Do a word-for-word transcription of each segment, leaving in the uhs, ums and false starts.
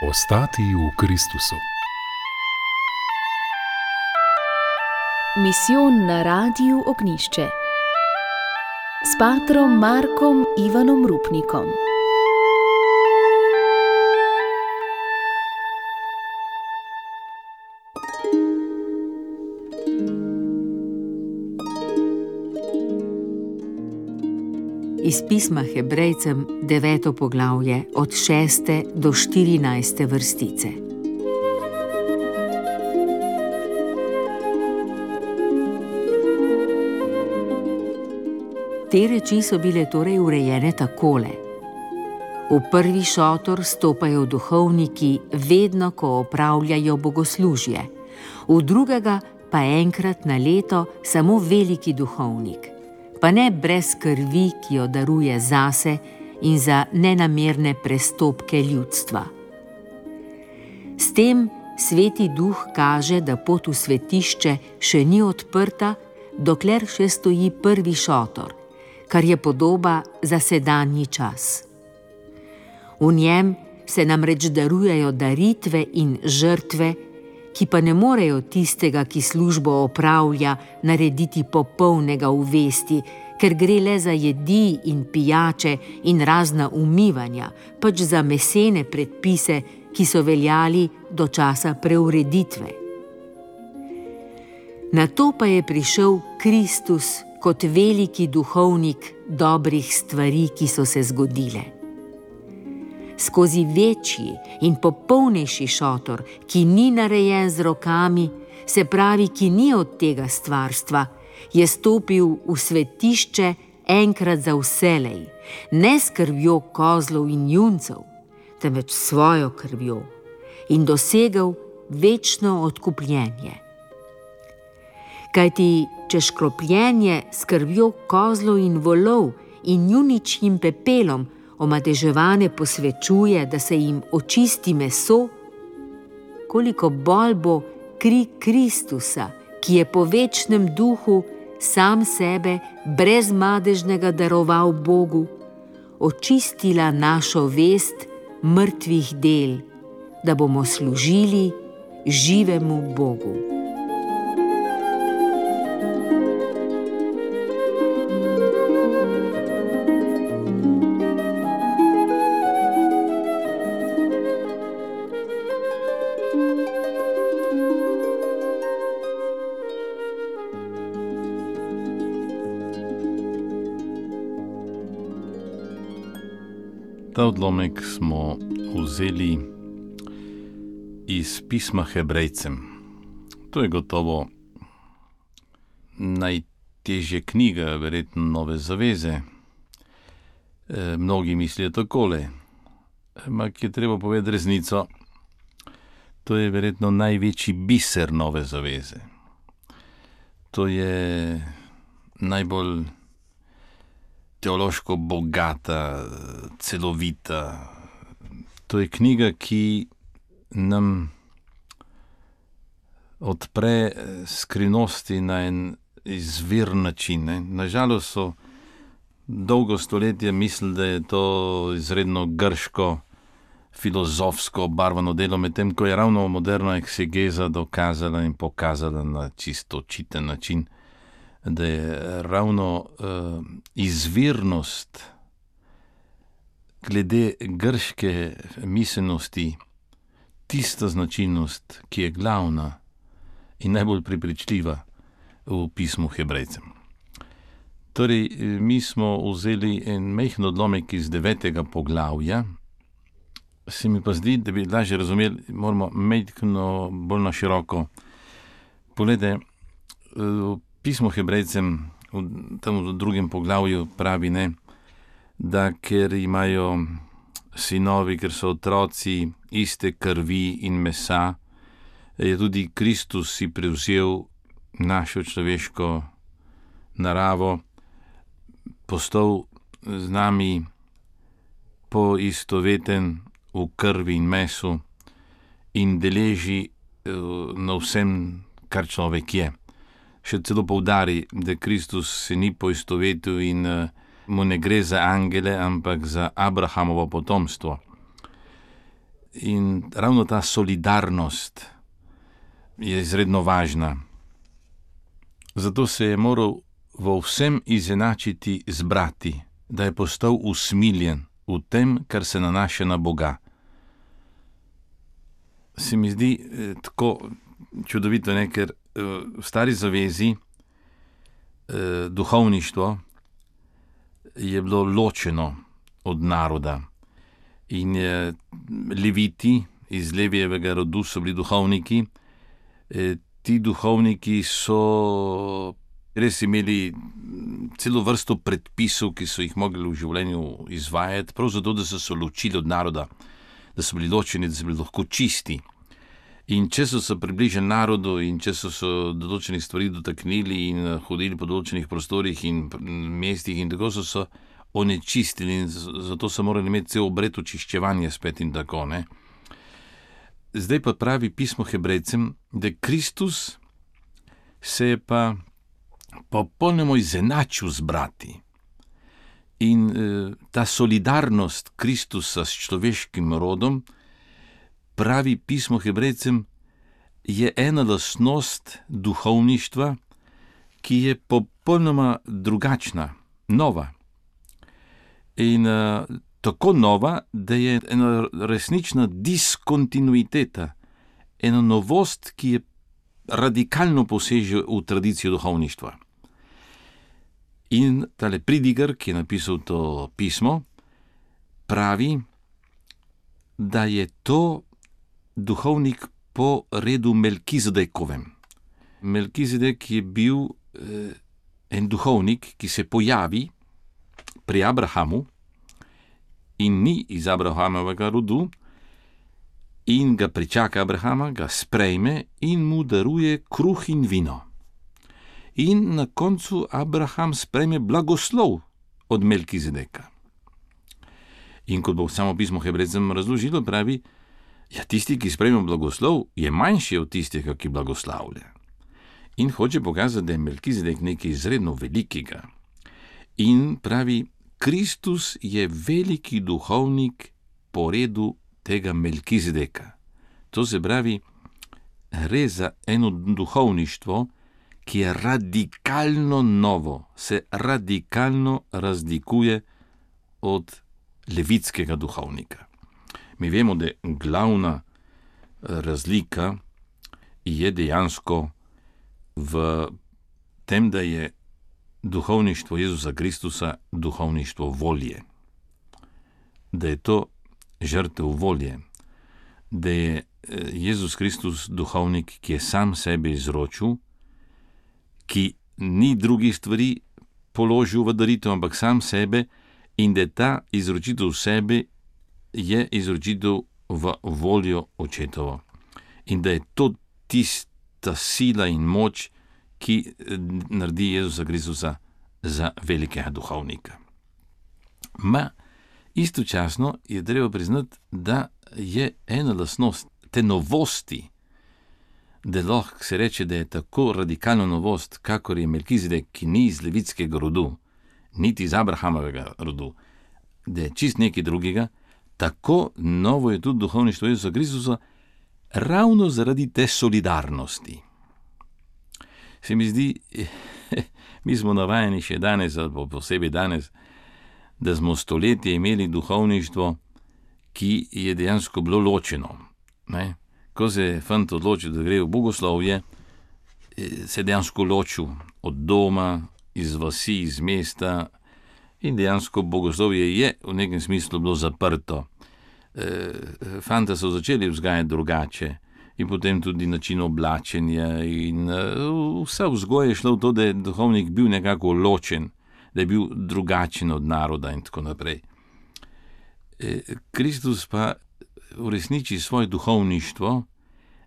Ostati v Kristusu. Misijon na Radiu Ognjišče s patrom Markom Ivanom Rupnikom. Iz pisma Hebrejcem, deveto poglavje, od šeste do štirinajste vrstice. Te reči so bile torej urejene takole. V prvi šotor stopajo duhovniki vedno, ko opravljajo bogoslužje, v drugega pa enkrat na leto samo veliki duhovnik, pa ne brez krvi, ki jo daruje zase in za nenamerne prestopke ljudstva. S tem Sveti Duh kaže, da pot v svetišče še ni odprta, dokler še stoji prvi šotor, kar je podoba za sedanji čas. V njem se namreč darujejo daritve in žrtve, ki pa ne morejo tistega, ki službo opravlja, narediti popolnega v vesti, ker gre le za jedi in pijače in razna umivanja, pač za mesene predpise, ki so veljali do časa preureditve. Nato pa je prišel Kristus kot veliki duhovnik dobrih stvari, ki so se zgodile. Skozi večji in popolnejši šotor, ki ni narejen z rokami, se pravi, ki ni od tega stvarstva, je stopil v svetišče enkrat za vselej, ne s krvjo kozlov in juncev, temveč svojo krvjo, in dosegel večno odkupljenje. Kajti, če škropljenje s krvjo kozlov in volov in juničjim pepelom omadeževane posvečuje, da se jim očisti meso, koliko bolj bo kri Kristusa, ki je po večnem duhu sam sebe brez madežnega daroval Bogu, očistila našo vest mrtvih del, da bomo služili živemu Bogu. Ta odlomek smo vzeli iz pisma Hebrejcem. To je gotovo najtežja knjiga, verjetno Nove zaveze. E, mnogi mislijo takole, ampak je treba povedati resnico. To je verjetno največji biser Nove zaveze. To je najbolj teološko bogata, celovita. To je knjiga, ki nam odpre skrivnosti na en izviren način. Ne? Nažalost so dolgo stoletja mislili, da je to izredno grško, filozofsko obarvano delo, medtem ko je ravno moderna eksegeza dokazala in pokazala na čisto očiten način, da je ravno uh, izvirnost glede grške miselnosti tista značilnost, ki je glavna in najbolj prepričljiva v pismu Hebrejcem. Torej, mi smo vzeli en majhen odlomek iz devetega poglavja. Se mi pa zdi, da bi lažje razumeli, moramo majhno bolj na široko. Poglejte, v pismo Hebrejcem, tam v drugem poglavju pravi, ne, da ker imajo sinovi, ker so otroci iste krvi in mesa, je tudi Kristus si prevzel našo človeško naravo, postal z nami poistoveten v krvi in mesu in deleži na vsem, kar človek je. Še celo poudari, da Kristus se ni poistovetil in mu ne gre za angele, ampak za Abrahamovo potomstvo. In ravno ta solidarnost je izredno važna. Zato se je moral v vsem izenačiti z brati, da je postal usmiljen v tem, kar se nanaša na Boga. Se mi zdi eh, tako čudovito, ne? Ker eh, v Stari zavezi eh, duhovništvo je bilo ločeno od naroda. In eh, leviti iz Levijevega rodu so bili duhovniki. Eh, ti duhovniki so res imeli celo vrsto predpisov, ki so jih mogli v življenju izvajati, prav zato, da so se ločili od naroda, da so bili ločeni, da so bili lahko čisti. In če so se približali narodu in če so se določenih stvari dotaknili in hodili po določenih prostorih in mestih in tako so se onečistili in zato so morali imeti cel obred očiščevanja spet in tako, ne. Zdaj pa pravi pismo Hebrejcem, da Kristus se je pa popolnoma izenačil z brati. In eh, ta solidarnost Kristusa s človeškim rodom, pravi pismo Hebrejcem, je ena lastnost duhovništva, ki je popolnoma drugačna, nova. In uh, tako nova, da je ena resnična diskontinuiteta, ena novost, ki je radikalno poseže v tradicijo duhovništva. In tale Pridigar, ki je napisal to pismo, pravi, da je to duhovnik po redu Melkizedekovem. Melkizedek je bil eh, en duhovnik, ki se pojavi pri Abrahamu in ni iz Abrahamovega rodu in ga pričaka Abrahama, ga sprejme in mu daruje kruh in vino. In na koncu Abraham sprejme blagoslov od Melkizedeka. In kot bo samo pismo Hebrejcem razložilo, pravi, ja, tisti, ki sprejme blagoslov, je manjši od tistega, ki blagoslavlja. In hoče pokazati, da je Melkizedek nekaj izredno velikega. In pravi, Kristus je veliki duhovnik po redu tega Melkizedeka. To se pravi, gre za eno duhovništvo, ki je radikalno novo, se radikalno razlikuje od levitskega duhovnika. Mi vemo, da glavna razlika je dejansko v tem, da je duhovništvo Jezusa Kristusa duhovništvo volje. Da je to žrtev volje. Da je Jezus Kristus duhovnik, ki je sam sebe izročil, ki ni drugih stvari položil v daritev, ampak sam sebe, in da ta izročitev sebe je izročitev v voljo očetovo. In da je to tista sila in moč, ki naredi Jezusa Kristusa za velikega duhovnika. Ma istočasno je treba priznati, da je ena lastnost te novosti, da lahko se reče, da je tako radikalna novost, kakor je Melkizedek, ki ni iz levitskega rodu, niti iz Abrahamovega rodu, da je čist nekaj drugega, tako novo je tudi duhovništvo Jezusa Kristusa, ravno zaradi te solidarnosti. Se mi zdi, mi smo navajeni še danes, ali posebej danes, da smo stoletje imeli duhovništvo, ki je dejansko bilo ločeno. Ne? Ko se je fant odločil, da gre v bogoslovje, se je dejansko ločil od doma, iz vasi, iz mesta in dejansko bogoslovje je v nekem smislu bilo zaprto. Fanta so začeli vzgajati drugače in potem tudi način oblačenja in vsa vzgoja je šla v to, da je duhovnik bil nekako ločen, da je bil drugačen od naroda in tako naprej. Kristus pa uresniči svoje duhovništvo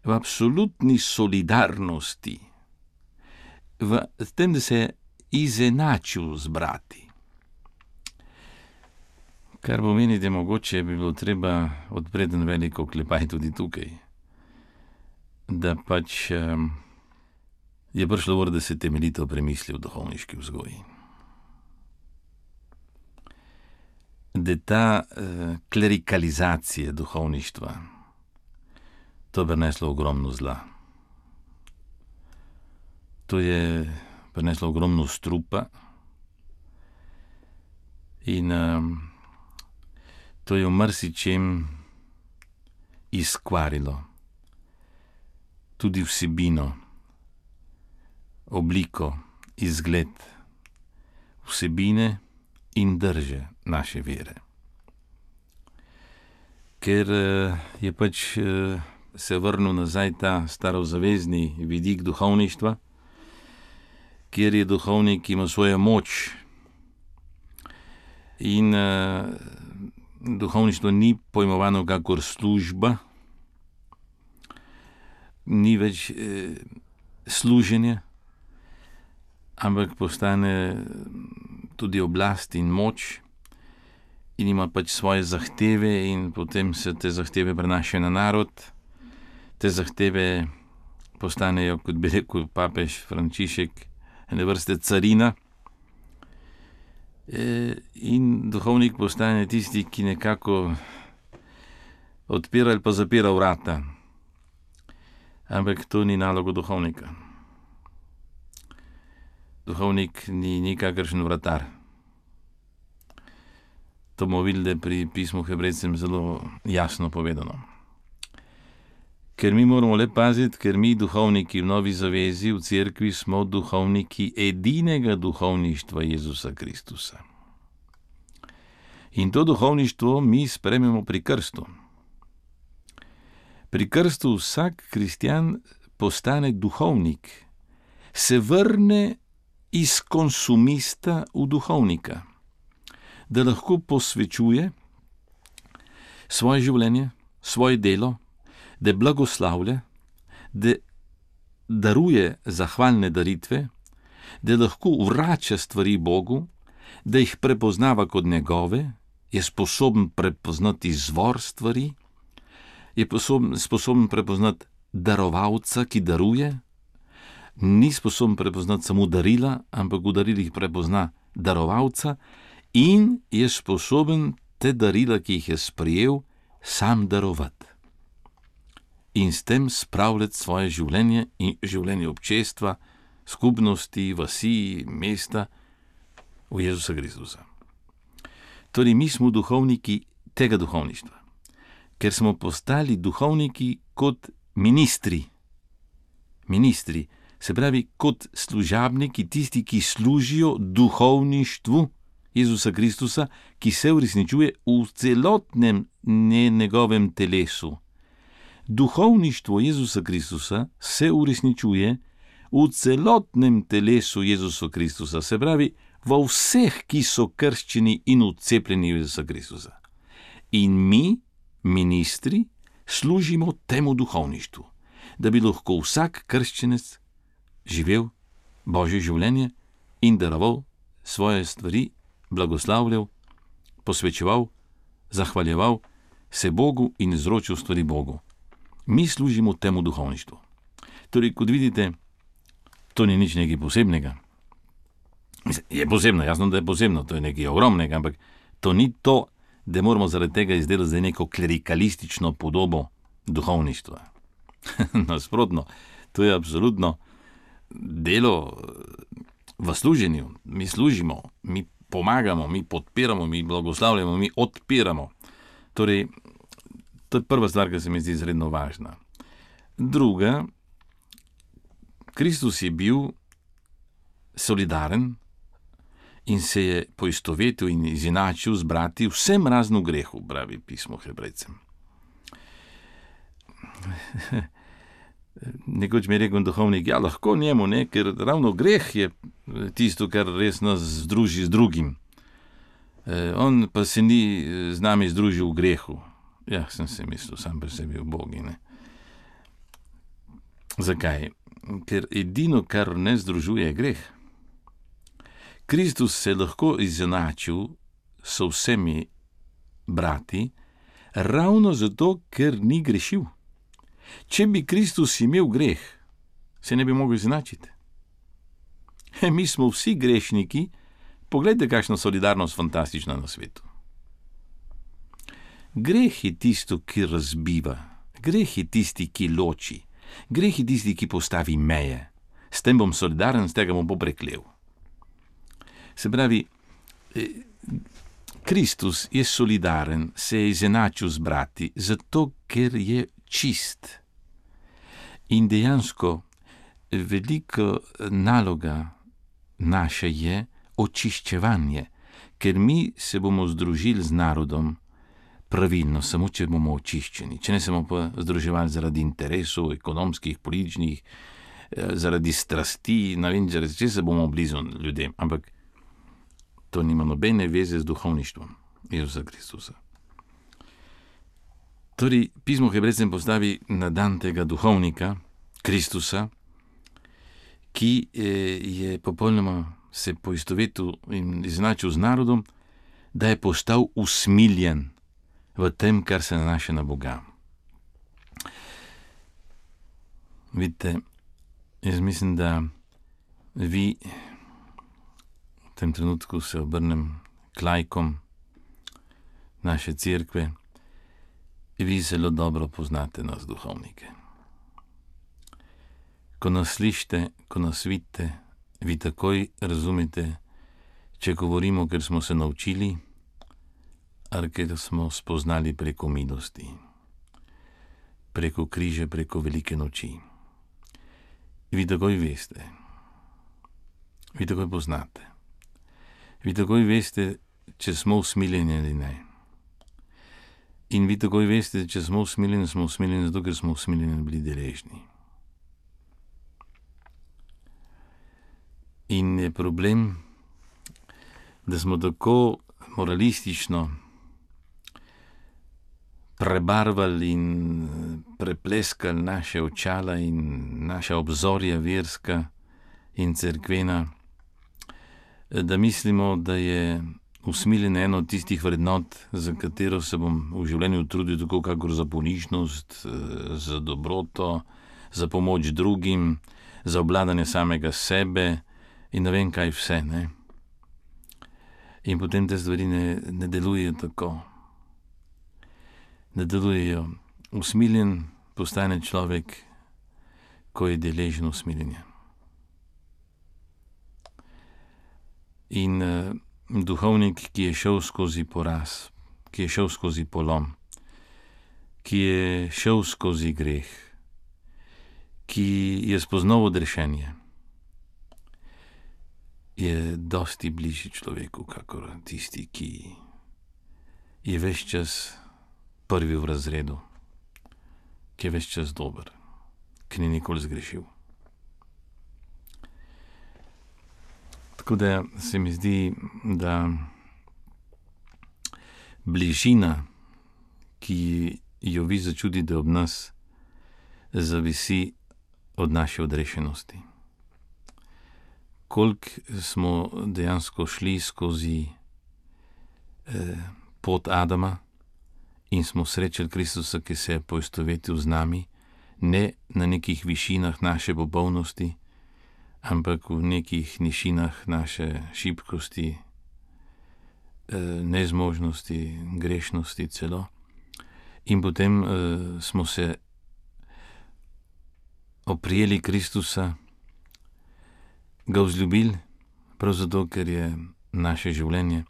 v absolutni solidarnosti, v tem, da se je izenačil z brati. Kar pomeni, da mogoče bi bilo treba odpreti en veliko klepaj tudi tukaj. Da pač um, je prišlo vrh, da se temeljito premisli v duhovniški vzgoji. Da ta uh, klerikalizacija duhovništva, to je prineslo ogromno zla. To je prineslo ogromno strupa in um, to je v marsičem izkvarilo tudi vsebino, obliko, izgled, vsebine in drže naše vere. Ker je pač se vrnil nazaj ta starozavezni vidik duhovništva, kjer je duhovnik ima svojo moč in uh, duhovništvo ni pojmovano kakor služba, ni več eh, služenje, ampak postane tudi oblast in moč in ima pač svoje zahteve in potem se te zahteve prenašajo na narod. Te zahteve postanejo, kot bi rekel papež Frančišek, ene vrste carina. E, in duhovnik postane tisti, ki nekako odpira ali pa zapira vrata. Ampak to ni naloga duhovnika. Duhovnik ni nikakršen vratar. To bomo videli pri pismu Hebrejcem zelo jasno povedano. Ker mi moramo le paziti, ker mi duhovniki v Novi zavezi, v cerkvi, smo duhovniki edinega duhovništva Jezusa Kristusa. In to duhovništvo mi sprejmemo pri krstu. Pri krstu vsak kristjan postane duhovnik, se vrne iz konsumista v duhovnika, da lahko posvečuje svoje življenje, svoje delo, da blagoslavlja, da daruje zahvalne daritve, da lahko vrača stvari Bogu, da jih prepoznava kot njegove, je sposoben prepoznati izvor stvari, je sposoben, sposoben prepoznati darovalca, ki daruje, ni sposoben prepoznati samo darila, ampak v darilih prepozna darovalca in je sposoben te darila, ki jih je sprejel, sam darovati. In s tem spravljati svoje življenje in življenje občestva, skupnosti, vasi, mesta v Jezusa Kristusa. Torej, mi smo duhovniki tega duhovništva, ker smo postali duhovniki kot ministri. Ministri, se pravi kot služabniki, tisti, ki služijo duhovništvu Jezusa Kristusa, ki se uresničuje v celotnem njegovem telesu. Duhovništvo Jezusa Kristusa se uresničuje v celotnem telesu Jezusa Kristusa, se pravi v vseh, ki so krščeni in vcepljeni v Jezusa Kristusa. In mi, ministri, služimo temu duhovništvu, da bi lahko vsak krščenec živel Božje življenje in daroval svoje stvari, blagoslavljal, posvečeval, zahvaljeval se Bogu in izročil stvari Bogu. Mi služimo temu duhovništvu. Torej, kot vidite, to ni nič nekaj posebnega. Je posebno, jasno, da je posebno, to je nekaj ogromnega, ampak to ni to, da moramo zaradi tega izdelati zdaj neko klerikalistično podobo duhovništva. Nasprotno, to je absolutno delo v služenju. Mi služimo, mi pomagamo, mi podpiramo, mi blagoslavljamo, mi odpiramo. Torej, to je prva stvar, ki se mi zdi izredno važna. Druga, Kristus je bil solidaren in se je poistovetil in izenačil z brati vsem razno grehu, pravi pismo Hebrejcem. Nekoč mi je rekel duhovnik, ja, lahko njemu, ne, ker ravno greh je tisto, kar res nas združi z drugim. E, on pa se ni z nami združil v grehu. Ja, sem se mislil sam pri sebi v Bogi, ne. Zakaj? Ker edino, kar ne združuje, je greh. Kristus se lahko izenačil s vsemi brati, ravno zato, ker ni grešil. Če bi Kristus imel greh, se ne bi mogel izenačiti. Mi smo vsi grešniki, poglejte, kakšna solidarnost fantastična na svetu. Greh je tisto, ki razbiva, Greh je tisti, ki loči. Greh je tisti, ki postavi meje. S tem bom solidaren, s tega bom popreklel. Se pravi, Kristus je solidaren, se je izenačil z brati, zato ker je čist. In dejansko velika naloga naša je očiščevanje, ker mi se bomo združili z narodom pravilno, samo če bomo očiščeni. Če ne se bomo pa združevali zaradi interesov, ekonomskih, političnih, zaradi strasti, ne vem, zaradi česa bomo blizu ljudem, ampak to nima nobene veze z duhovništvom Jezusa Kristusa. Torej, pismo Hebrejcem postavi na dan tega duhovnika, Kristusa, ki je popolnoma se poistovetil in izenačil z narodom, da je postal usmiljen v tem, kar se nanaša na Boga. Vidite, jaz mislim, da vi v tem trenutku se obrnem k laikom naše cerkve, vi zelo dobro poznate nas duhovnike. Ko nas slišite, ko nas vidite, vi takoj razumete, če govorimo, ker smo se naučili, ali ker smo spoznali preko milosti, preko križa, preko velike noči. Vi takoj veste, vi takoj poznate, vi takoj veste, če smo usmiljeni ali ne. In vi takoj veste, če smo usmiljeni, smo usmiljeni zato, ker smo usmiljeni bili deležni. In je problem, da smo tako moralistično prebarvali in prepleskali naše očala in naša obzorja verska in cerkvena, da mislimo, da je usmiljenje eno od tistih vrednot, za katero se bom v življenju trudil tako kakor za ponižnost, za dobroto, za pomoč drugim, za obvladanje samega sebe in ne vem kaj vse, ne. In potem te stvari ne, ne delujejo tako. Ne delujejo. Usmiljen postane človek, ko je deležen usmiljenja. In uh, duhovnik, ki je šel skozi poraz, ki je šel skozi polom, ki je šel skozi greh, ki je spoznal odrešenje, je dosti bližji človeku, kakor tisti, ki je ves čas prvi v razredu, ki je ves čas dober, ki ni nikoli zgrešil. Tako da se mi zdi, da bližina, ki jo vi začutite ob nas, zavisi od naše odrešenosti. Koliko smo dejansko šli skozi eh, pot Adama in smo srečali Kristusa, ki se je poistovetil z nami, ne na nekih višinah naše popolnosti, ampak v nekih nišinah naše šibkosti, eh, nezmožnosti, grešnosti celo. In potem eh, smo se oprijeli Kristusa, ga vzljubili, prav zato, ker je naše življenje,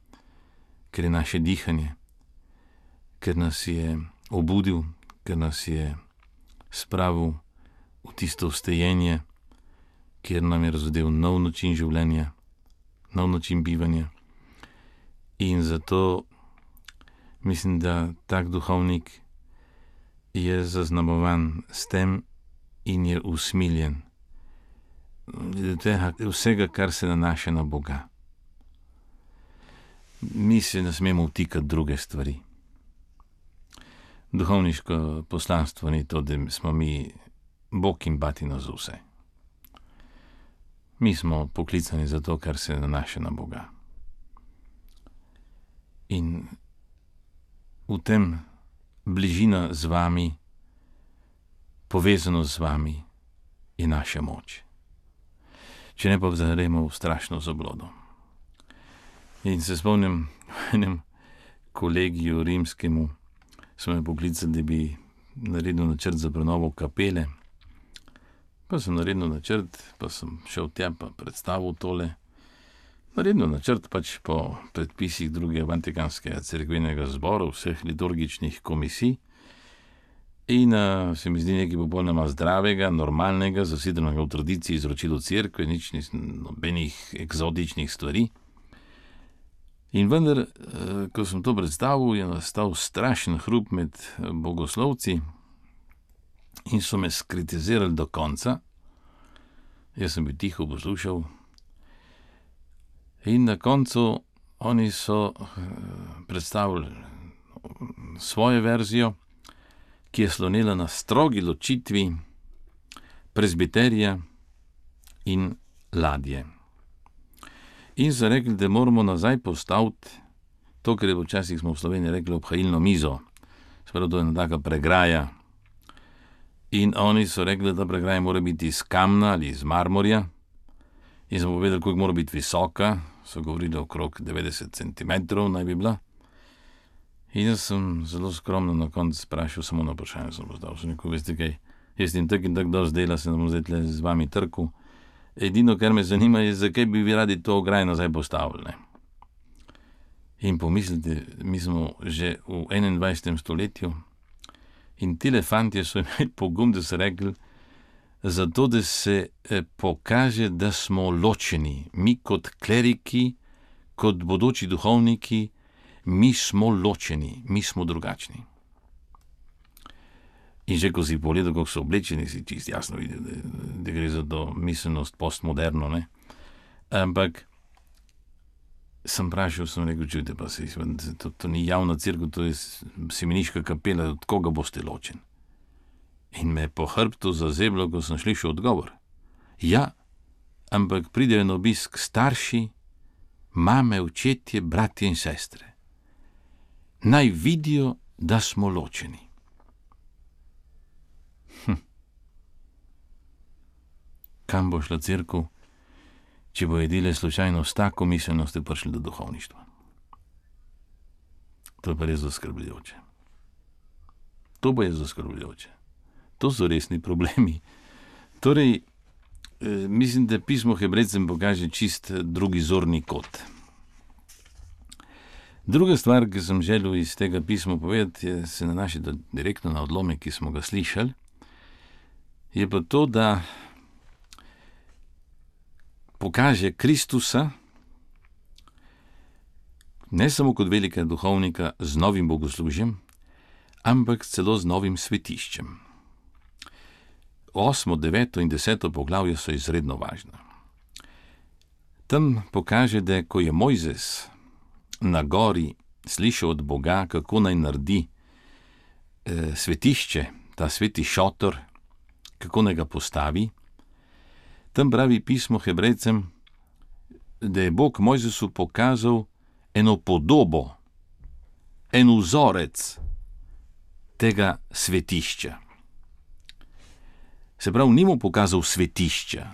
ker je naše dihanje, ker nas je obudil, ker nas je spravil v tisto vstajenje, kjer nam je razodel nov način življenja, nov način bivanja. In zato mislim, da tak duhovnik je zaznamovan s tem in je usmiljen vsega, kar se nanaša na Boga. Mi se ne smemo vtikati druge stvari. Duhovniško poslanstvo ni to, da smo mi Bog in batina za vse. Mi smo poklicani za to, kar se nanaša na Boga. In v tem bližina z vami, povezano z vami, je naša moč. Če ne pa vzaremo v strašno zablodo. In se spomnim v enem kolegiju rimskemu, so me poklicali, da bi naredil načrt za prenovo kapele. Pa sem naredil načrt, pa sem šel tja pa predstavil tole. Naredil načrt pač po predpisih drugega Vatikanskega cerkvenega zbora, vseh liturgičnih komisij. In uh, se mi zdi nekaj popolnoma zdravega, normalnega, zasidranega v tradiciji izročilo cerkve, nič ni nobenih eksotičnih stvari. In vendar, uh, ko sem to predstavil, je nastal strašen hrup med bogoslovci in so me skritizirali do konca. Jaz sem bil tiho poslušal. In na koncu oni so uh, predstavili svojo verzijo, ki je slonela na strogi ločitvi prezbiterija in ladje. In so rekli, da moramo nazaj postaviti to, kar je včasih smo v Sloveniji rekli obhajilno mizo. Sprav, to je ena taka pregraja. In oni so rekli, da ta pregraja mora biti iz kamna ali iz marmorja. In sem povedal, koliko mora biti visoka. So govorili okrog devetdeset centimetrov naj bi bila. In jaz sem zelo skromno na koncu sprašal, samo na vprašanje sem postavil. Sem rekel, veste kaj, jaz in tak in tak dosti dela, se ne bom zdaj tle z vami trkal. Edino, kar me zanima, je, zakaj bi vi radi to ograjo nazaj postavili. Ne? In pomislite, mi smo že v enaindvajsetem stoletju in tile fantje so imeli pogum, da so rekli, zato, da se eh, pokaže, da smo ločeni. Mi kot kleriki, kot bodoči duhovniki, mi smo ločeni, mi smo drugačni. In že ko si pogledal, kako so oblečeni, si čist jasno videl, da, da gre za to miselnost postmoderno, ne. Ampak sem vprašal, sem rekel, čujte pa se, to, to ni javna cerkev, to je semeniška kapela, od koga boste ločeni? In me po hrbtu zazeblo, ko sem slišal odgovor. Ja, ampak pridejo na obisk starši, mame, očetje, bratje in sestre. Naj vidijo, da smo ločeni. Hm. Kam bo šla cerkev, če bo edile slučajno s tako miselnostjo prišli do duhovništva? To je pa res zaskrbljujoče. To pa je zaskrbljujoče. To so resni problemi. Torej, eh, mislim, da pismo Hebrejcem pokaže čist drugi zorni kot. Druga stvar, ki sem želel iz tega pisma povedati, je, se nanaša direktno na odlomek, ki smo ga slišali, je pa to, da pokaže Kristusa ne samo kot velikega duhovnika z novim bogoslužjem, ampak celo z novim svetiščem. Osmo, deveto in deseto poglavje so izredno važna. Tam pokaže, da ko je Mojzes na gori slišal od Boga, kako naj naredi eh, svetišče, ta sveti šotor, kako naj ga postavi, tam pravi pismo Hebrejcem, da je Bog Mojzesu pokazal eno podobo, en vzorec tega svetišča. Se pravi, ni mu pokazal svetišča,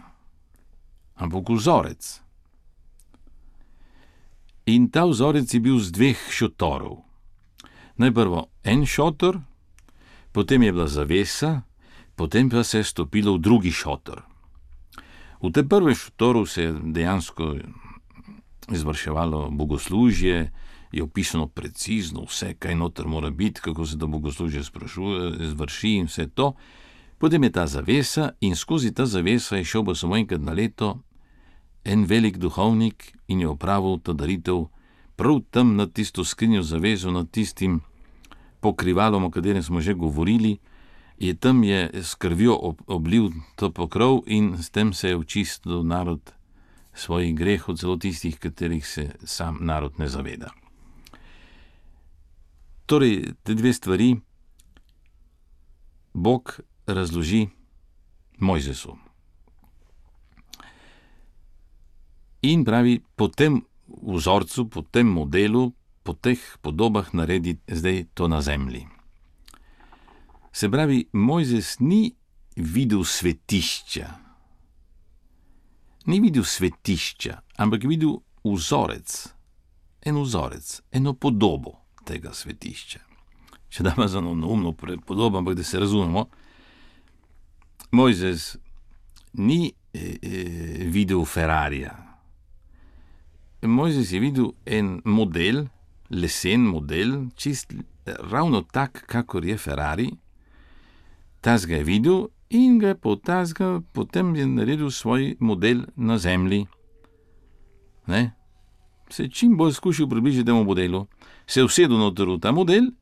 ampak vzorec. In ta vzorec je bil z dveh šotorov. Najprvo en šotor, potem je bila zavesa, potem pa se je stopilo v drugi šotor. V tem prvem šotoru se je dejansko izvrševalo bogoslužje, je opisano precizno vse, kaj noter mora biti, kako se to bogoslužje izvrši in vse to. Potem je ta zavesa in skozi ta zavesa je šel pa samo enkrat na leto en velik duhovnik in je opravil to daritev prav tam nad tisto skrinjo zavezo, nad tistim pokrivalom, o katerem smo že govorili, je tam je s krvjo oblil to pokrov in s tem se je očistil narod svojih grehov, celo tistih, katerih se sam narod ne zaveda. Torej, te dve stvari Bog razloži Mojzesu. In pravi, po tem vzorcu, po tem modelu, po teh podobah naredi zdaj to na zemlji. Se pravi, Mojzes ni videl svetišča. Ni videl svetišča, ampak videl vzorec. En vzorec, eno podobo tega svetišča. če damo za neumno podobo, ampak da se razumemo, Mojzes ni eh, videl Ferrarija. Mojzes je videl en model, lesen model, čist ravno tak, kakor je Ferrari. Tas ga je videl in ga je po tasga potem je naredil svoj model na zemlji. Ne? Se je čim bolj skušal približiti temu modelu, se je usedel noter v ta model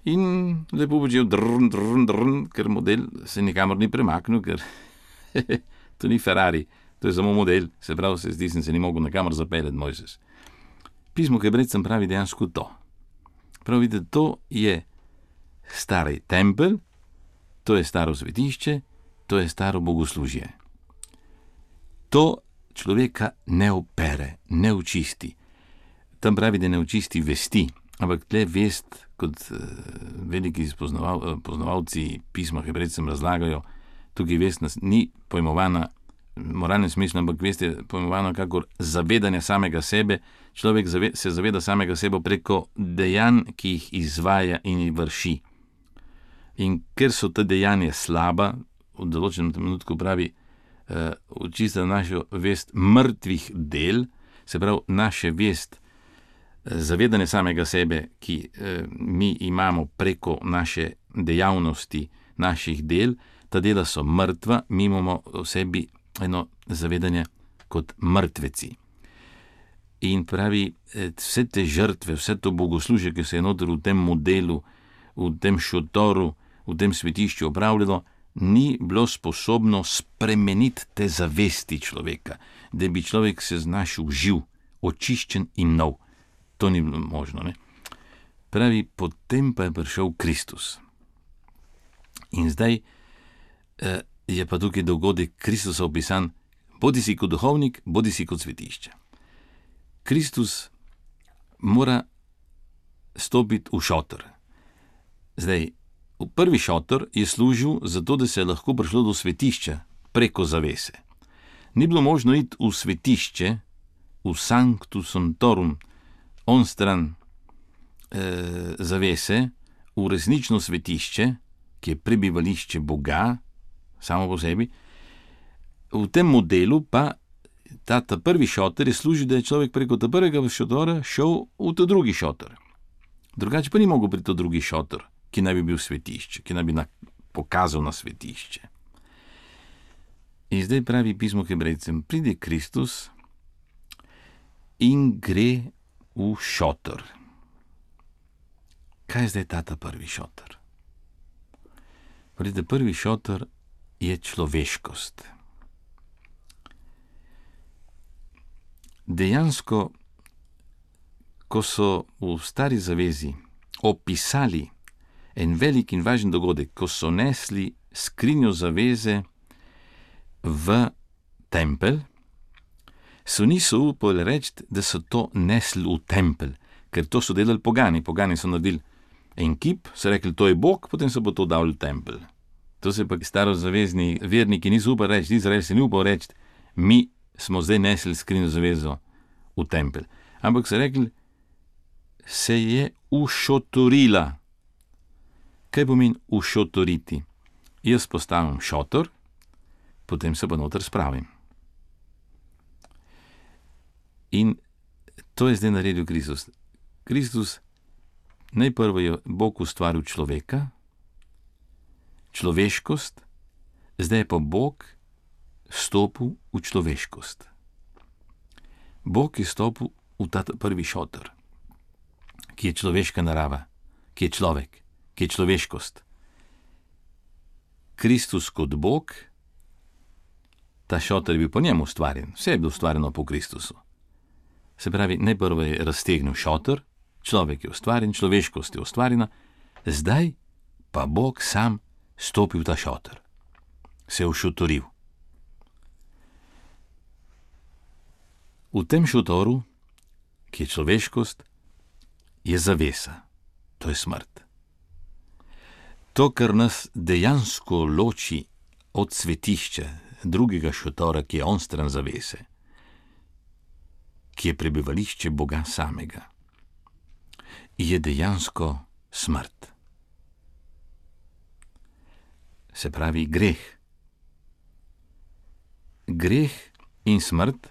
in lepo počel drn, drn, drn, ker model se nikamor ni premaknil, ker to ni Ferrari, to je samo model, se pravi, se zdi, sem se ni mogel nikamor zapeljati Mojzes. Pismo Hebrejcem pravi dejansko to. Prav vidite, to je stari tempelj, to je staro svetišče, to je staro bogoslužje. To človeka ne opere, ne očisti. Tam pravi, da ne očisti vesti, ampak tle vest, kot uh, veliki spoznaval, uh, poznavalci pisma Hebrejcem razlagajo, tukaj vest nas ni pojmovana v moralnem smislu, ampak vest je pojmovana kakor zavedanje samega sebe. Človek zave, se zaveda samega sebe preko dejanj, ki jih izvaja in jih vrši. In ker so te dejanja slaba, v določenem trenutku pravi, uh, očista našo vest mrtvih del, se pravi naše vest, zavedanje samega sebe, ki eh, mi imamo preko naše dejavnosti, naših del, ta dela so mrtva, mi imamo v sebi eno zavedanje kot mrtveci. In pravi, vse te žrtve, vse to bogoslužje, ki se je noter v tem modelu, v tem šotoru, v tem svetišču opravljalo, ni bilo sposobno spremeniti te zavesti človeka, da bi človek se znašel živ, očiščen in nov. To ni bilo možno, ne? Pravi, potem pa je prišel Kristus. In zdaj eh, je pa tukaj dogodek Kristusa opisan, bodi si kot duhovnik, bodi si kot svetišče. Kristus mora stopiti v šotor. Zdaj, v prvi šotor je služil zato, da se je lahko prišlo do svetišča preko zavese. Ni bilo možno iti v svetišče, v Sanctus Sanctorum, on stran e, zavese, v resnično svetišče, ki je prebivališče Boga, samo po sebi. V tem modelu pa ta, ta prvi šotor je služil, da je človek preko ta prvega šotora šel v ta drugi šotor. Drugače pa ni mogel pri ta drugi šotor, ki naj bi bil svetišče, ki naj bi na, pokazal na svetišče. In zdaj pravi pismo Hebrejcem, pride Kristus in gre v šotor. Kaj je zdaj ta prvi šotor? Pride, prvi šotor je človeškost. Dejansko, ko so v stari zavezi opisali en velik in važen dogodek, ko so nesli skrinjo zaveze v tempelj, so niso upali reči, da so to nesli v tempelj, ker to so delali pogani. Pogani so naredili en kip, so rekli, to je Bog, potem so bo to dali v tempelj. To se pa starozavezni verniki niso upali reči, Izrael se ni upal reči, mi smo zdaj nesli skrinjo zavezo v tempelj. Ampak so rekli, se je ušotorila. Kaj pomeni ušotoriti? Jaz postavim šotor, potem se pa noter spravim. In to je zdaj naredil Kristus. Kristus, najprvo je Bog ustvaril človeka, človeškost, zdaj je pa Bog stopil v človeškost. Bog je stopil v ta prvi šotor, ki je človeška narava, ki je človek, ki je človeškost. Kristus kot Bog, ta šotor je bil po njemu ustvarjen, vse je bilo ustvarjeno po Kristusu. Se pravi, najprvo je raztegnil šotor, človek je ustvarjen, človeškost je ustvarjena, zdaj pa Bog sam stopil v ta šotor, se je ušotoril. V tem šotoru, ki je človeškost, je zavesa, to je smrt. To, kar nas dejansko loči od svetišča, drugega šotora, ki je onstran zavese, ki je prebivališče Boga samega, je dejansko smrt. se pravi greh. Greh in smrt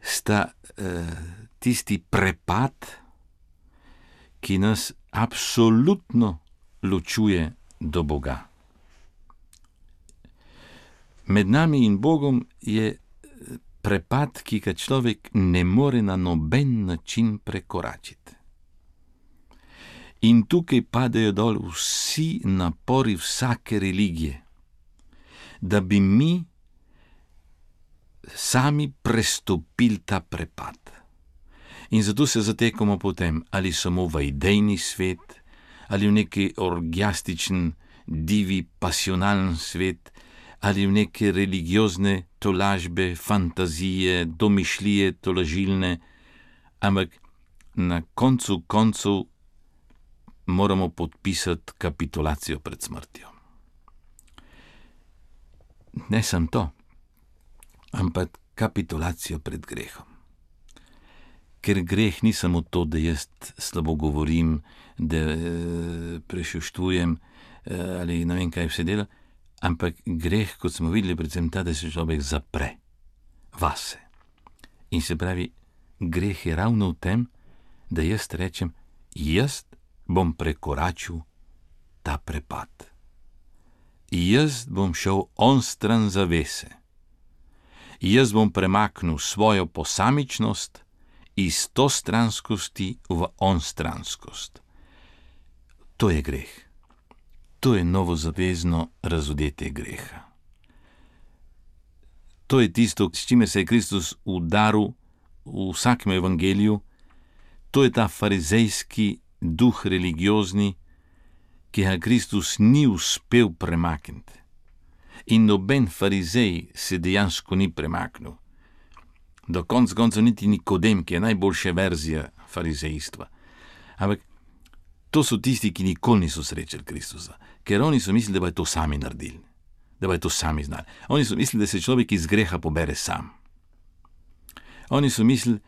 sta uh, tisti prepad, ki nas absolutno ločuje do Boga. Med nami in Bogom je prepad, ki ga človek ne more na noben način prekoračiti. In tukaj padajo dol vsi napori vsake religije, da bi mi sami prestopili ta prepad. In zato se zatekamo potem ali samo v idejni svet, ali v neki orgiastičen, divi, pasionalen svet, ali v neke religiozne tolažbe, fantazije, domišljije tolažilne, ampak na koncu koncev moramo podpisati kapitulacijo pred smrtjo. Ne samo to, ampak kapitulacijo pred grehom. Ker greh ni samo to, da jaz slabo govorim, da prešuštujem ali ne vem kaj vse dela, ampak greh, kot smo videli, predvsem ta, da se človek zapre vase. In se pravi, greh je ravno v tem, da jaz rečem, jaz bom prekoračil ta prepad. Jaz bom šel onstran zavese. Jaz bom premaknil svojo posamičnost iz tostranskosti v onstranskost. To je greh. To je novozavezno razodetje greha. To je tisto, s čimer se je Kristus udaril v vsakem evangeliju. To je ta farizejski duh religiozni, ki ga Kristus ni uspel premakniti. In noben farizej se dejansko ni premaknil. Do konc koncev niti Nikodem, ki je najboljša verzija farizejstva. Ampak to so tisti, ki nikoli niso srečali Kristusa, ker oni so mislili, da bodo to sami naredili, da bodo to sami znali. Oni so mislili, da se človek iz greha pobere sam. Oni so mislili,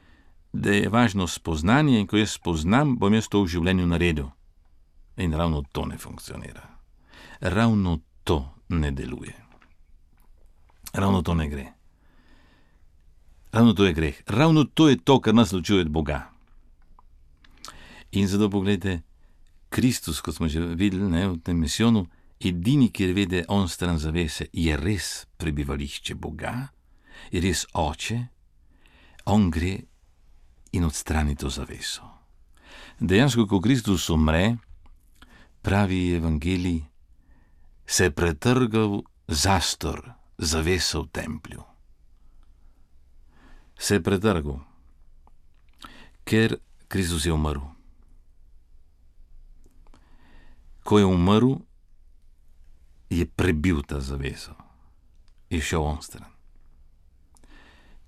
da je važno spoznanje in ko jaz spoznam, bom jaz to v življenju naredil. In ravno to ne funkcionira. Ravno to ne deluje. Ravno to ne gre. Ravno to je greh. Ravno to je to, kar nas ločuje od Boga. In zato pogledajte, Kristus, kot smo že videli, ne, v tem misijonu, edini, kjer vede on stran zavese, je res prebivališče Boga, je res Oče, on gre in odstrani to zaveso. Dejansko, ko Kristus umre, pravi evangelij, se je pretrgal zastor, zavesa v templju. Se je pretrgal, ker Kristus je umrl. Ko je umrl, je prebil ta zaveso, je šel onstran.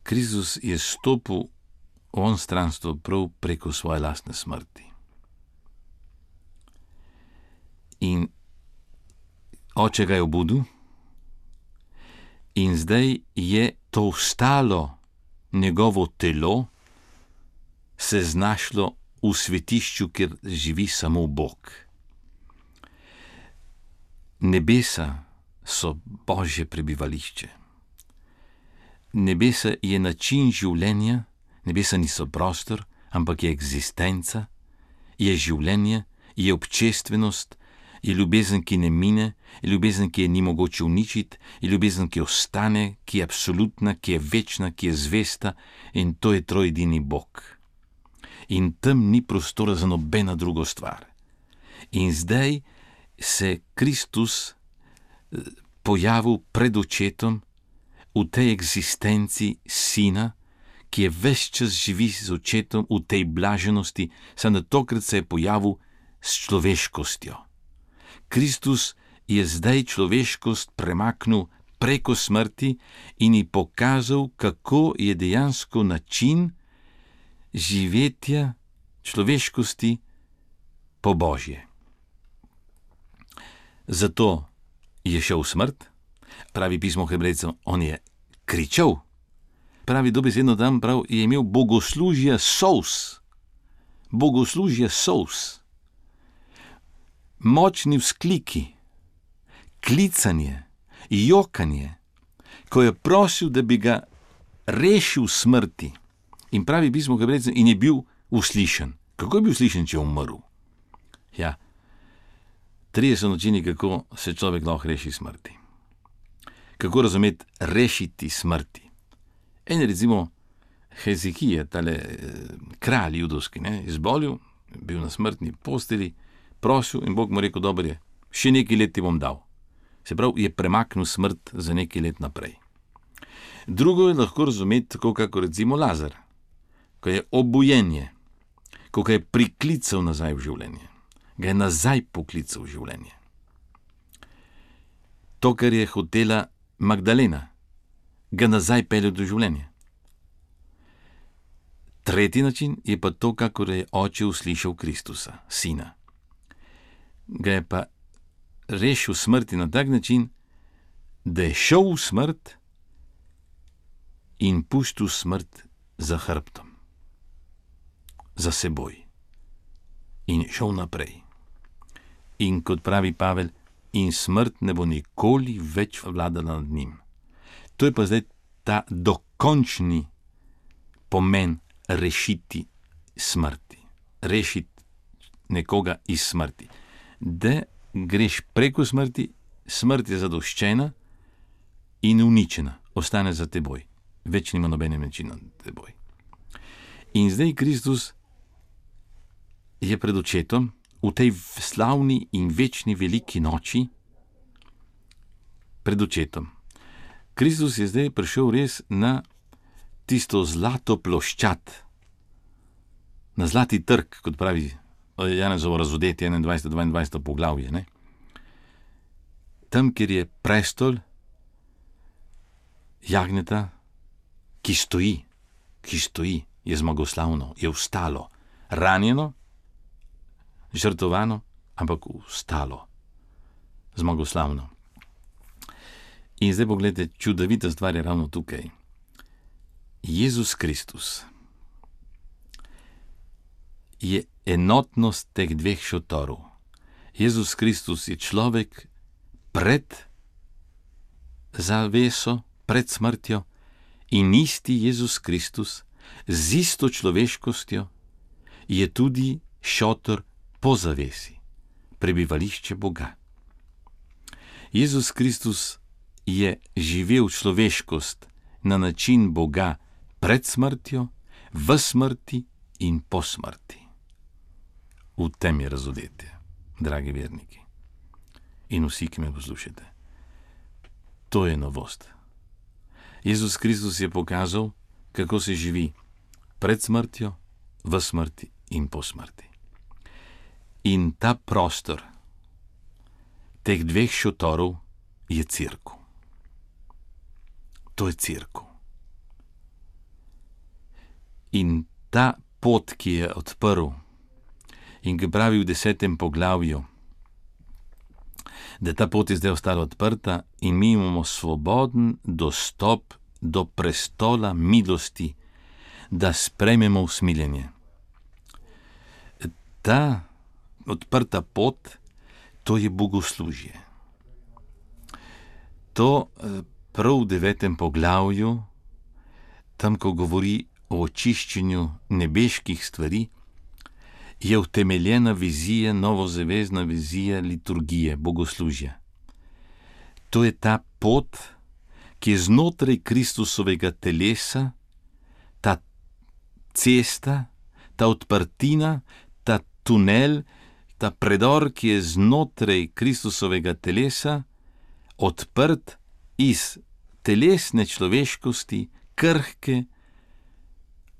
Kristus je stopil v onstranstvo prav preko svoje lastne smrti. In Oče ga je obudil in zdaj je to ostalo njegovo telo se znašlo v svetišču, kjer živi samo Bog. Nebesa so Božje prebivališče. Nebesa je način življenja, nebesa niso prostor, ampak je eksistenca, je življenje, je občestvenost, je ljubezen, ki ne mine, je ljubezen, ki je ni mogoče uničiti, je ljubezen, ki ostane, ki je absolutna, ki je večna, ki je zvesta, in to je trojedini Bog. In tam ni prostora za nobena druga stvar. In zdaj se Kristus pojavil pred očetom v tej eksistenci sina, ki je ves čas živi z očetom v tej blaženosti, samo tokrat se je pojavil s človeškostjo. Kristus je zdaj človeškost premaknil preko smrti in ji pokazal, kako je dejansko način živetja človeškosti po Božje. Zato je šel v smrt, pravi pismo Hebrejcem, on je kričal, pravi dobesedno tam prav, je imel bogoslužja solz, bogoslužja solz, močni vzkliki, klicanje, jokanje, ko je prosil, da bi ga rešil smrti. In pravi pismo Hebrejcem, in je bil uslišen. Kako je bil uslišen, če je umrl? Ja, trije so načini, kako se človek lahko reši smrti. Kako razumeti rešiti smrti? En recimo Hezekija, tale kralj judovski, ne, izbolil, bil na smrtni posteli, prosil in Bog mu rekel, dober je, še nekaj let ti bom dal. Se pravi, je premaknil smrt za nekaj let naprej. Drugo je lahko razumeti tako, kako recimo Lazar, ko je obujenje, ko ga je priklical nazaj v življenje, ga je nazaj poklical v življenje. To, kar je hotela Magdalena, ga nazaj pelje do življenja. Tretji način je pa to, kako je oče uslišal Kristusa, sina. Ga je pa rešil smrti na tak način, da je šel v smrt in pustil smrt za hrbtom, za seboj in šel naprej. In kot pravi Pavel, in smrt ne bo nikoli več vladala nad njim. To je pa zdaj ta dokončni pomen rešiti smrti, rešiti nekoga iz smrti. Da greš preko smrti, smrt je zadoščena in uničena, ostane za teboj. Več nima nobene moči nad teboj. In zdaj Kristus je pred očetom v tej slavni in večni veliki noči, pred očetom. Kristus je zdaj prišel res na tisto zlato ploščad, na zlati trg, kot pravi Janezovo razodetje enaindvajseto dvaindvajseto poglavje. Ne? Tam, kjer je prestol jagnjeta, ki stoji, ki stoji, je zmagoslavno, je vstalo, ranjeno, žrtvovano, ampak vstalo, zmagoslavno. In zdaj pogledajte, čudovita stvar je ravno tukaj. Jezus Kristus je enotnost teh dveh šotorov. Jezus Kristus je človek pred zaveso, pred smrtjo, in isti Jezus Kristus z isto človeškostjo je tudi šotor po zavesi, prebivališče Boga. Jezus Kristus je živel človeškost na način Boga pred smrtjo, v smrti in po smrti. V tem je razodetje, dragi verniki. In vsi, ki me poslušate. To je novost. Jezus Kristus je pokazal, kako se živi pred smrtjo, v smrti in po smrti. In ta prostor teh dveh šotorov je cerkev. To je cerkev. In ta pot, ki je odprl in ki pravi v desetem poglavju, da ta pot je zdaj ostala odprta in mi imamo svoboden dostop do prestola milosti, da sprejmemo usmiljenje. Ta odprta pot, to je bogoslužje. To prav v devetem poglavju, tam, ko govori o očiščenju nebeških stvari, je utemeljena vizija, novozavezna vizija liturgije, bogoslužja. To je ta pot, ki je znotraj Kristusovega telesa, ta cesta, ta odprtina, ta tunel, ta predor, ki je znotraj Kristusovega telesa, odprt iz telesne človeškosti, krhke,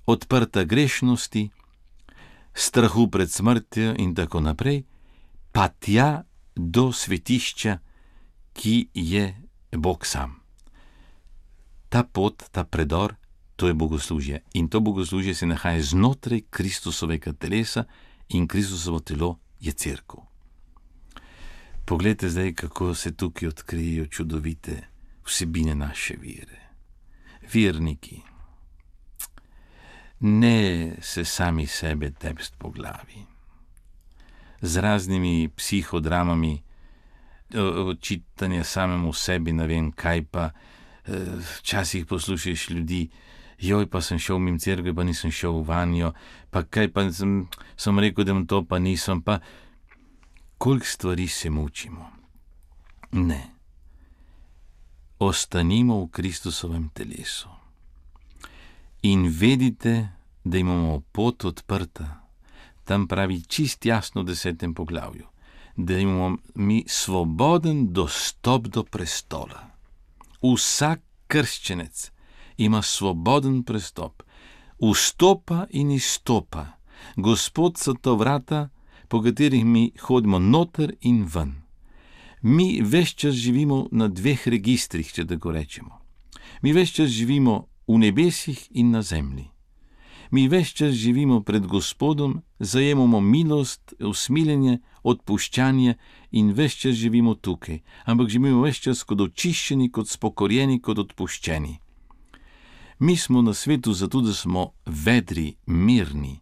odprta grešnosti, strahu pred smrtjo in tako naprej, pa tja do svetišča, ki je Bog sam. Ta pot, ta predor, to je bogoslužje. In to bogoslužje se nahaja znotraj Kristusovega telesa in Kristusovo telo je cerkev. Poglejte zdaj, kako se tukaj odkrijejo čudovite vsebine naše vere. Verniki, ne se sami sebe tepst po glavi z raznimi psihodramami, očitanje samemu sebi, ne vem kaj pa. Včasih poslušaš ljudi, joj, pa sem šel mimo cerkve, pa nisem šel vanjo, pa kaj pa sem, sem rekel, da to pa nisem, pa koliko stvari se mučimo. Ne. Ostanimo v Kristusovem telesu. In vedite, da imamo pot odprta. Tam pravi čist jasno v desetem poglavju, da imamo mi svoboden dostop do prestola. Vsak krščenec ima svoboden prestop. Vstopa in izstopa. Gospod so to vrata, po katerih mi hodimo noter in ven. Mi ves čas živimo na dveh registrih, če tako rečemo. Mi ves čas živimo v nebesih in na zemlji. Mi ves čas živimo pred Gospodom, zajemamo milost, usmiljenje, odpuščanje in ves čas živimo tukaj, ampak živimo ves čas kot očiščeni, kot spokorjeni, kot odpuščeni. Mi smo na svetu zato, da smo vedri, mirni.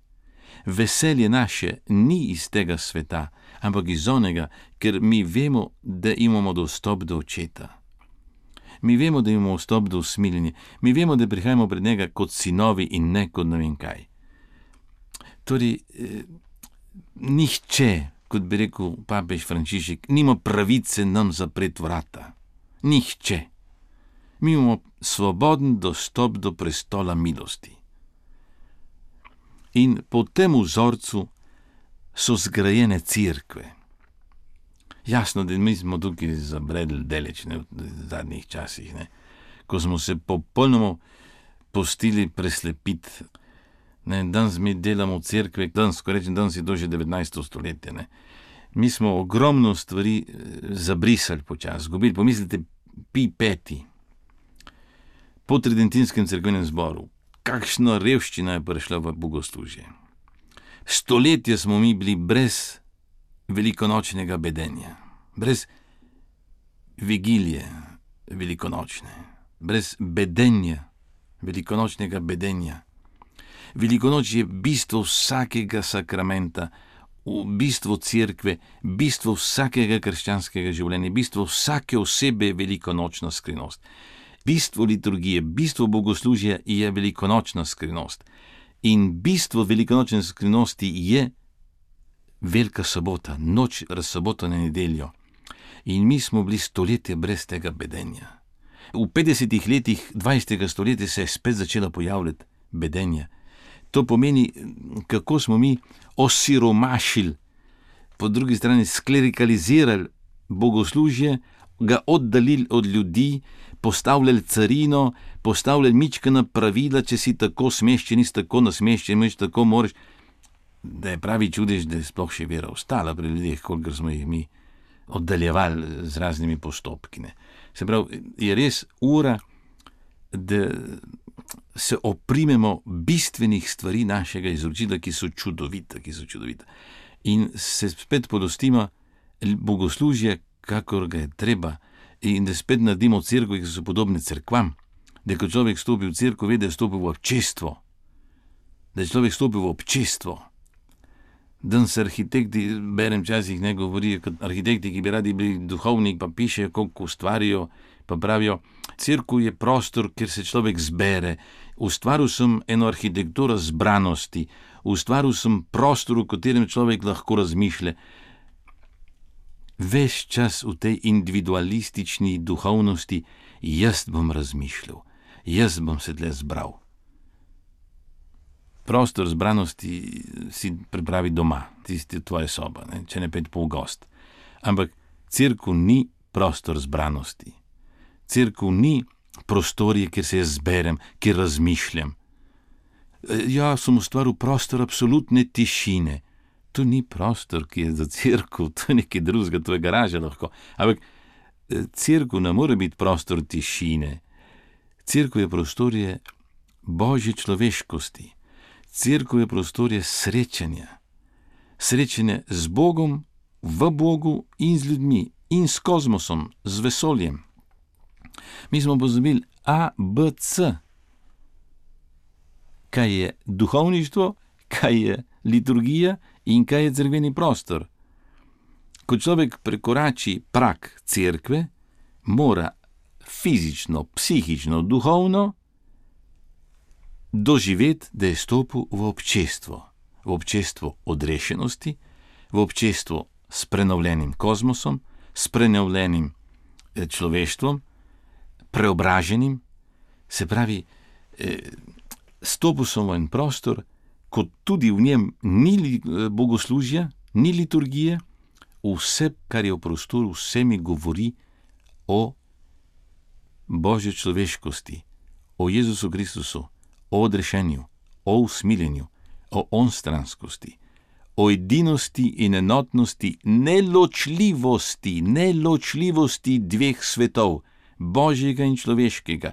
Veselje naše ni iz tega sveta, ampak iz onega, ker mi vemo, da imamo dostop do Očeta. Mi vemo, da imamo vstop do usmiljenja. Mi vemo, da prihajamo pred njega kot sinovi in ne kot ne vem kaj. Torej, eh, nihče, kot bi rekel papež Frančišek, nima pravice nam zapreti vrata. Nihče. Mi imamo svoboden dostop do prestola milosti. In po tem vzorcu so zgrajene cerkve. Jasno, da mi smo tukaj zabredli daleč, ne, v zadnjih časih, ne, ko smo se popolnoma pustili preslepiti. Ne, danes mi delamo v cerkve, danes, ko rečem, danes je to že devetnajsto stoletje. Ne. Mi smo ogromno stvari zabrisali počas, zgubili. Pomislite, Pij peti, po tridentinskem cerkvenem zboru, kakšna revščina je prišla v bogoslužje. Stoletje smo mi bili brez velikonočnega bedenja, brez vigilije velikonočne, brez bedenja, velikonočnega bedenja. Velikonoč je bistvo vsakega sakramenta, bistvo cerkve, bistvo vsakega krščanskega življenja, bistvo vsake osebe je velikonočna skrivnost. Bistvo liturgije, bistvo bogoslužja je velikonočna skrivnost. In bistvo velikonočne skrivnosti je Velika sobota, noč razsobota na nedeljo. In mi smo bili stoletje brez tega bedenja. V petdesetih letih dvajsetega stoletja se je spet začela pojavljati bedenje. To pomeni, kako smo mi osiromašili, po drugi strani sklerikalizirali bogoslužje, ga oddaljili od ljudi, postavljali carino, postavljali mičkana pravila, če si tako smeš, če nisi tako nasmeščen, če tako moraš. Da je pravi čudež, da je sploh še vera ostala pri ljudeh, kolikor smo jih mi oddaljevali z raznimi postopki. Ne. Se pravi, je res ura, da se oprimemo bistvenih stvari našega izročila, ki so čudovita, ki so čudovita. In se spet podostimo bogoslužje, kakor ga je treba, in da spet naredimo cerkve, ki so podobne cerkvam, da ko človek stopi v cerkev, ve, da je stopil v občestvo, da je človek stopil v občestvo. Danes arhitekti, berem časih, ne govorijo kot arhitekti, ki bi radi bili duhovnik, pa pišejo, koliko ustvarijo, pa pravijo, cerkev je prostor, kjer se človek zbere. Ustvaril sem eno arhitekturo zbranosti, ustvaril sem prostor, v katerem človek lahko razmišlja. Ves čas v tej individualistični duhovnosti, jaz bom razmišljal, jaz bom se tle zbral. Prostor zbranosti si pripravi doma, tisti tvoja soba, ne? Če ne pet pol gost. Ampak cerkev ni prostor zbranosti. Cerkev ni prostorje, kjer se jaz zberem, kjer razmišljam. Ja, sem ustvaril prostor absolutne tišine. To ni prostor, ki je za cerkev, to je nekaj drugega, to je garaža lahko. Ampak cerkev ne more biti prostor tišine. Cerkev je prostorje božje človeškosti. Cerkev je prostorje srečanja. Srečanje z Bogom, v Bogu in z ljudmi, in s kozmosom, z vesoljem. Mi smo pozabili A, B, C. Kaj je duhovništvo, kaj je liturgija in kaj je cerkveni prostor. Ko človek prekorači prag cerkve, mora fizično, psihično, duhovno doživeti, da je stopil v občestvo, v občestvo odrešenosti, v občestvo s prenovljenim kozmosom, s prenovljenim človeštvom, preobraženim, se pravi, stopil sem v en prostor, kot tudi v njem ni bogoslužja, ni liturgije, vse, kar je v prostoru, vse mi govori o Božji človeškosti, o Jezusu Kristusu, o odrešenju, o usmiljenju, o onstranskosti, o edinosti in enotnosti, neločljivosti, neločljivosti dveh svetov, Božjega in človeškega,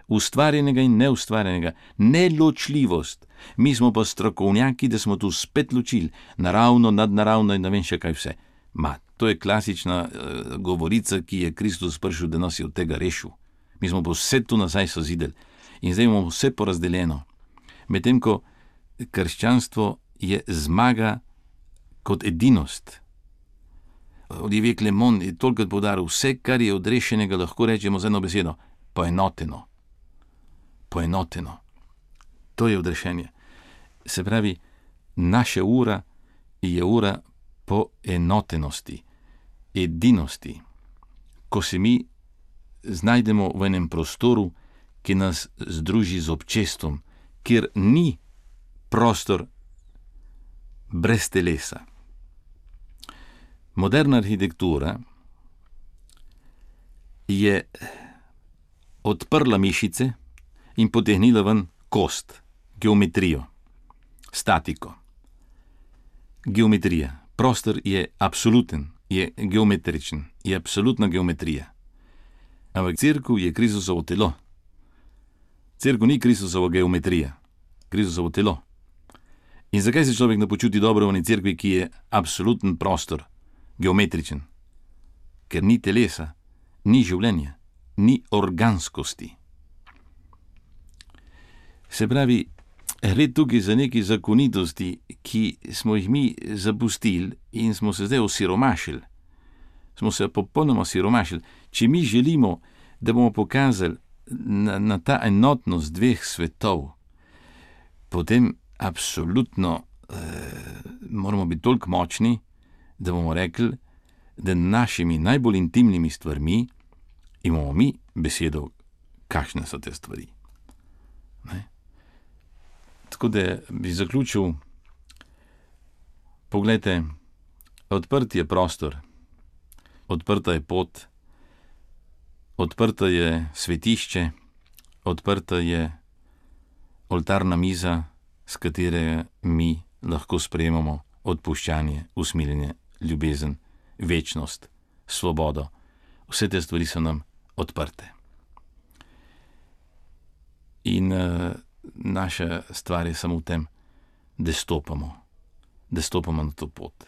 ustvarjenega in neustvarjenega, neločljivost. Mi smo pa strokovnjaki, da smo tu spet ločili, naravno, nadnaravno in ne vem še kaj vse. Ma, to je klasična uh, govorica, ki je Kristus prišel, da nas je od tega rešil. Mi smo pa vse tu nazaj sozideli in zdaj imamo vse porazdeljeno. Medtem ko krščanstvo je zmaga kot edinost. Olivier Clement je tolikrat poudaril, vse, kar je odrešenega, lahko rečemo z eno besedo, poenoteno. Poenoteno. To je odrešenje. Se pravi, naša ura je ura poenotenosti, edinosti. Ko se mi znajdemo v enem prostoru, ki nas združi z občestvom, kjer ni prostor brez telesa. Moderna arhitektura je odprla mišice in potegnila ven kost, geometrijo, statiko. Geometrija. Prostor je absoluten, je geometričen, je absolutna geometrija. Ampak cerkev je Kristusovo telo. Cerkev ni Kristusova geometrija, Kristusovo telo. In zakaj se človek ne počuti dobro v eni cerkvi, ki je absoluten prostor, geometričen? Ker ni telesa, ni življenja, ni organskosti. Se pravi, gre tukaj za neke zakonitosti, ki smo jih mi zapustili in smo se zdaj osiromašili. Smo se popolnoma osiromašili. Če mi želimo, da bomo pokazali na, na ta enotnost dveh svetov, potem absolutno eh, moramo biti toliko močni, da bomo rekli, da našimi najbolj intimnimi stvarmi imamo mi besedo, kakšne so te stvari. Ne? Tako da bi zaključil, poglejte, odprt je prostor, odprta je pot, odprta je svetišče, odprta je oltarna miza, s katere mi lahko sprejemamo odpuščanje, usmiljenje, ljubezen, večnost, svobodo. Vse te stvari so nam odprte. In uh, naša stvar je samo v tem, da stopamo, da stopamo na to pot,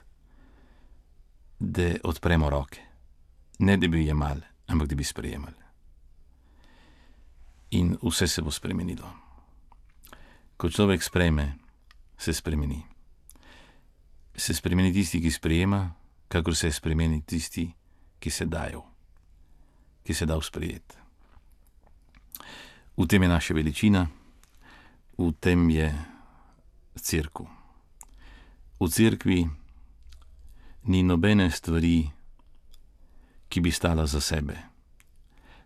da odpremo roke, ne da bi jemali, ampak da bi sprejemali. In vse se bo spremenilo. Ko človek sprejme, se spremeni. Se spremeni tisti, ki sprejema, kakor se spremeni tisti, ki se dajo, ki se da sprejeti. V tem je naša veličina, v tem je cerkev. V cerkvi ni nobene stvari, ki bi stala za sebe.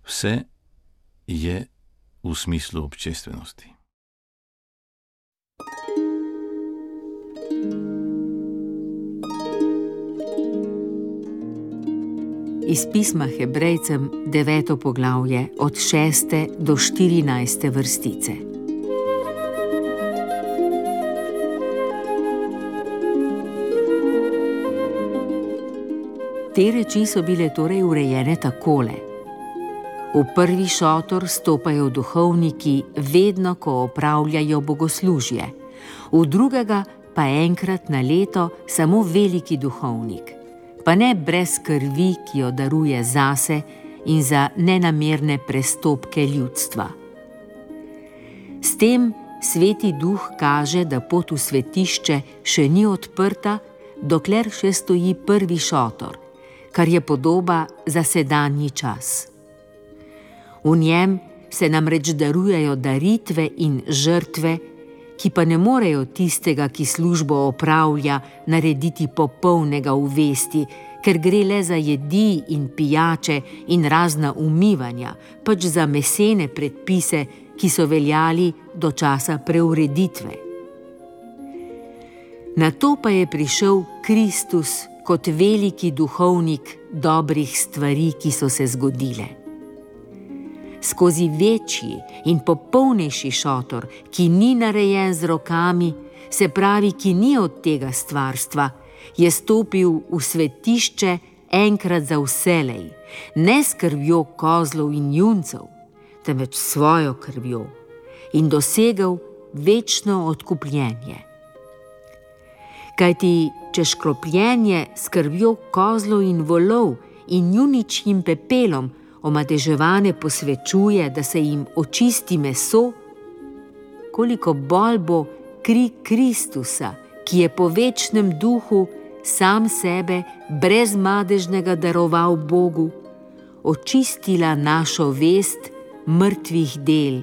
Vse je v smislu občestvenosti. Iz pisma Hebrejcem deveto poglavje od šeste do štirinajste vrstice. Te reči so bile torej urejene takole. V prvi šotor stopajo duhovniki vedno, ko opravljajo bogoslužje, v drugega pa enkrat na leto samo veliki duhovnik, pa ne brez krvi, ki jo daruje zase in za nenamerne prestopke ljudstva. S tem Sveti Duh kaže, da pot v svetišče še ni odprta, dokler še stoji prvi šotor, kar je podoba za sedanji čas. V njem se namreč darujejo daritve in žrtve, ki pa ne morejo tistega, ki službo opravlja, narediti popolnega v vesti, ker gre le za jedi in pijače in razna umivanja, pač za mesene predpise, ki so veljali do časa preureditve. Nato pa je prišel Kristus kot veliki duhovnik dobrih stvari, ki so se zgodile. Skozi večji in popolnejši šotor, ki ni narejen z rokami, se pravi, ki ni od tega stvarstva, je stopil v svetišče enkrat za vselej, ne s krvjo kozlov in juncev, temveč svojo krvjo, in dosegel večno odkupljenje. Kajti, če škropljenje s krvjo kozlov in volov in juničjim pepelom omadeževane posvečuje, da se jim očisti meso, koliko bolj bo kri Kristusa, ki je po večnem duhu sam sebe brez madežnega daroval Bogu, očistila našo vest mrtvih del,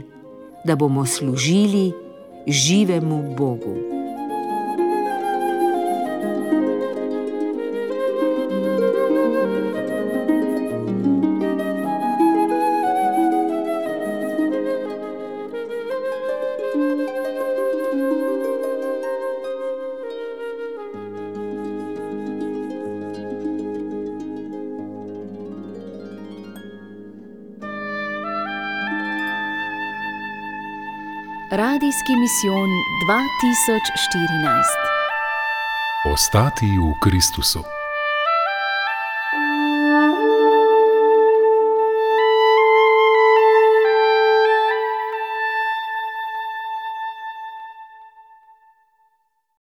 da bomo služili živemu Bogu. Radijski misijon dva tisoč štirinajst. Ostati v Kristusu.